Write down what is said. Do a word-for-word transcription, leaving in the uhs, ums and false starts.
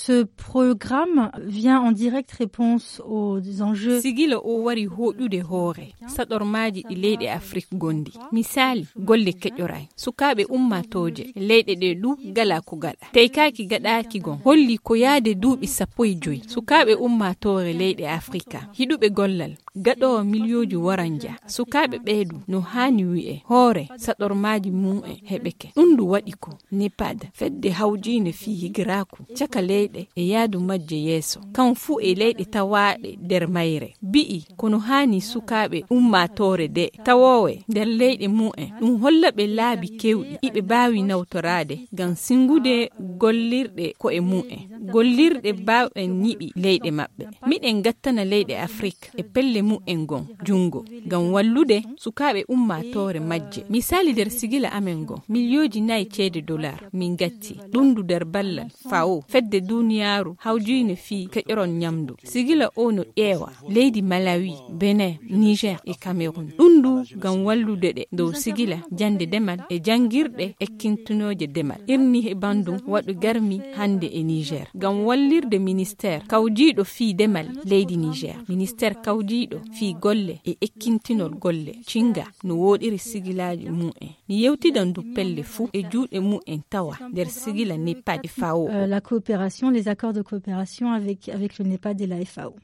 Ce programme vient en direct réponse aux enjeux. Sigila o wari hoɗude hoore saɗormaaji ɗi leyɗe Afrik gondi. Misaali, golle keƴoraay. Sukaaɓe ummaatooje leyɗe ɗe du gala ko gaɗa. Teykaaki gaɗaaki gon holli ko yaade duuɓi sappo e joy. Sukaaɓe ummaatoore leyɗe Afrika hiɗuɓe gollal gaɗoowo miliyooji waranja. Sukaaɓe ɓeeɗu no haani wi'e hoore saɗormaaji mum en heɓeke. Ɗum ndu waɗi ko nepad, fedde hawjiinde fii higiraaku caka leyɗe e yaadu majje yeeso, kan fuu e leyɗe tawaaɗe nder mayre. Bi'i kono haani sukaaɓe ummaatoore de tawoowe nder leyɗe mum en, ɗum holla ɓe laabi kewɗi iɓe baawi nawtoraade ngam singude gollirɗe ko'e mum en, gollirɗe baawɗe ñiɓi leyɗe maɓɓe. Miɗen gattana leyɗe Afrik e pelle mum en gon junngo ngam wallude sukaaɓe ummaatoore majje. Misaali, nder sigila amen ngon miliyooji nayi ceede dolar min gatti ɗum ndu nder ballal fawo fedde duniyaaru hawjiinde fii keƴoron ñamdu. Sigila o no ƴeewa leydi Malawi, Benin, Niger e Cameroun. Ɗum ndu ngam wallude ɗe dow sigila jannde demal e janngirɗe ekkintinooje demal. Irni he banndum waɗu garmi hannde e Niger ngam wallirde ministeer kawjiiɗo fii demal leydi Niger, ministeer kawjiiɗo fii golle e ekkintinol golle cinga no wooɗiri sigilaaji mum en. Mi yewtidan ndu pelle fuu e juuɗe mum en tawa nder sigila nepad e fawo. Euh, la coopération, les accords de coopération avec, avec le nepad et la F A O.